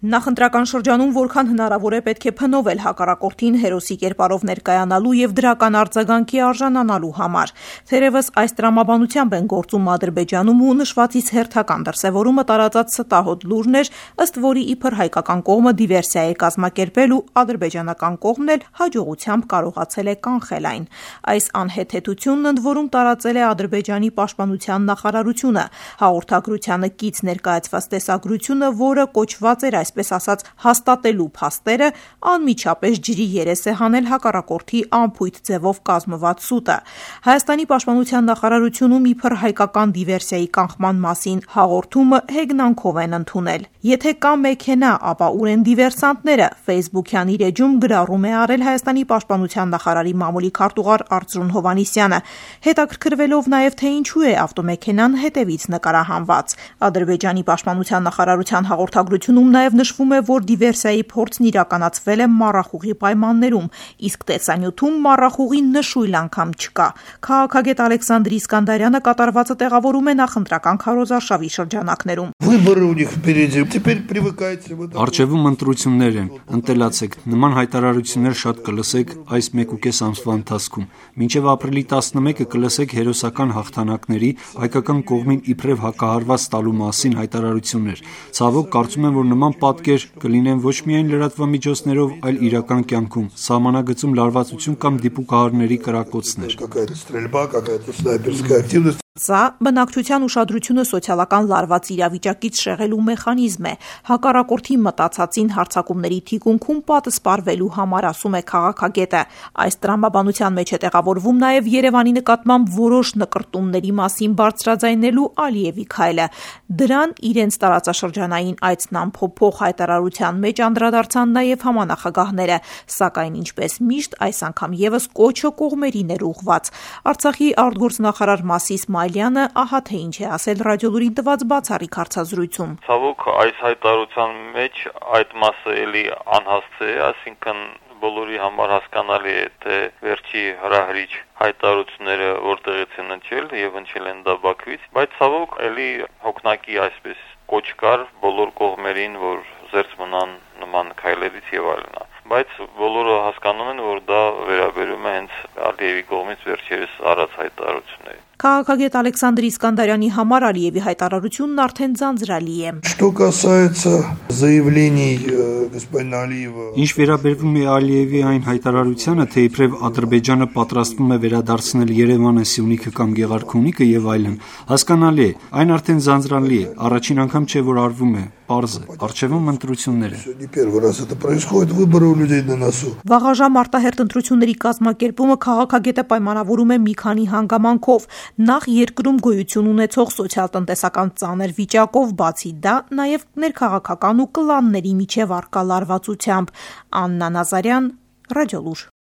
Նախընտրական շրջանում որքան հնարավոր է պետք է փնովել հակառակորդին հերոսի կերպարով ներկայանալու եւ դրական արձագանքի արժանանալու համար։ Թերևս այս տրամաբանությամբ են գործում Ադրբեջանում ու նշվածից հերթական դրսևորումը տարածած ստահոդ լուրն էր, ըստ որի իբր հայկական կողմը դիվերսիա է կազմակերպել ու ադրբեջանական կողմն էլ հաջողությամբ կարողացել է կանխել այն։ Այս անհեթեթությունն ընդ որում տարածել է Ադրբեջանի պաշտպանության նախարարությունը։ Հաղորդագրությանը կից ներկայացված տեսագրությունը, որը կոչված էր այսպես ասած հաստատելու փաստերը, անմիջապես ջրի երես է հանել հակառակորդի անփույթ ձևով կազմված սուտը։ Հայաստանի պաշտպանության նախարարությունում իբր հայկական դիվերսիայի կանխման մասին հաղորդումը հեգնանքով են ընդունել։ Եթե կա մեքենա, ապա ուր են դիվերսանտները, Facebook-յան իր էջում գրառում է արել Հայաստանի պաշտպանության նախարարի մամուլի քարտուղար Արծրուն Հովհաննիսյանը, հետաքրքրվելով նաև թե ինչու է ավտոմեքենան հետևից նկարահանված։ Ադրբեջանի պաշտպանության նախարարության հաղորդագրությունում նաև նշվում է, որ դիվերսիայի փորձն իրականացվել է մառախուղի պայմաններում, իսկ տեսանյութում մառախուղի նշույլ անգամ չկա։ Քաղաքագետ Ալեքսանդր Իսկանդարյանը կատարվածը տեղավորում է նախընտրական քարոզարշավի շրջանակներում։ Առջևում ընտրություններ են, ընտելացեք, նման հայտարարություններ շատ կլսեք այս 1.5 ամսվա ընթացքում։ Մինչև ապրիլի 11-ը կլսեք հերոսական հաղթանակների, հայկական կողմին իբրև հակահարված տալու մասին հայտարարություններ։ Ցավոք, կարծում եմ, որ նման պատկեր կլինեն ոչ միայն լրատվամիջոցներով, այլ իրական կյանքում, սահմանագծում լարվածություն կամ դիպուկահարների կրակոցներ։ Սա բնակչության ուշադրությունը սոցիալական լարված իրավիճակից շեղելու մեխանիզմ է, հակառակորդի մտածածին հարձակումների թիկունքում պատսպարվելու համար, ասում է քաղաքագետը։ Այս տրամաբանության մեջ է տեղավորվում նաև Երևանի նկատմամբ որոշ նկրտումների մասին բարձրաձայնելու Ալիևի քայլը։ Դրան իրենց տարածաշրջանային այցն ամփոփող հայտարարության մեջ անդրադարձան նաև համանախագահները, սակայն ինչպես միշտ այս անգամ եւս կոչը կողմերին էր ուղղված։ Արցախի արտգործնախարար Մասիս Մայլյանը ահա թե ինչ է ասել Ռադիոլուրին տված բացառիկ հարցազրույցում։ Ցավոք, այս հայտարարության մեջ այդ մասը էլի անհասցե է, այսինքն բոլորի համար հասկանալի է, թե վերջի հրահրիչ հայտարարությունները որտեղից են ընչել եւ ընչել են դա Բաքվից, բայց ցավոք էլի հոգնակի այսպես կոչ կար բոլոր կողմերին, որ զերծ մնան նման քայլերից եւ այլն։ Բայց բոլորը հասկանում են, որ դա վերաբերում է հենց Ալիևի կողմից վերջերս արած հայտարարություններին։ Քաղաքագետ Ալեքսանդր Իսկանդարյանի համար Ալիևի հայտարարությունն արդեն ձանձրալի է։ Ինչ վերաբերվում է Ալիևի այն հայտարարությանը, թե իբրև Ադրբեջանը պատրաստվում է վերադարձնել Երևանը, Սյունիքը կամ Գեղարքունիքը եւ այլն, հասկանալի է, այն արդեն ձանձրալի է, առաջին անգամ չէ, որ արվում է, պարզ է, առջևում ընտրություններ են։ Վաղաժամ արտահերթ ընտրությունների կազմակերպումը քաղաքագետը պայմանավորում է մի քանի հանգամանքով։ Նախ երկրում գոյություն ունեցող սոցիալ-տնտեսական ծանր վիճակով, բացի դա նաև ներքաղաքական ու կլանների միջև առկա լարվածությամբ։ Աննա Նազարյան, Ռադիոլուր։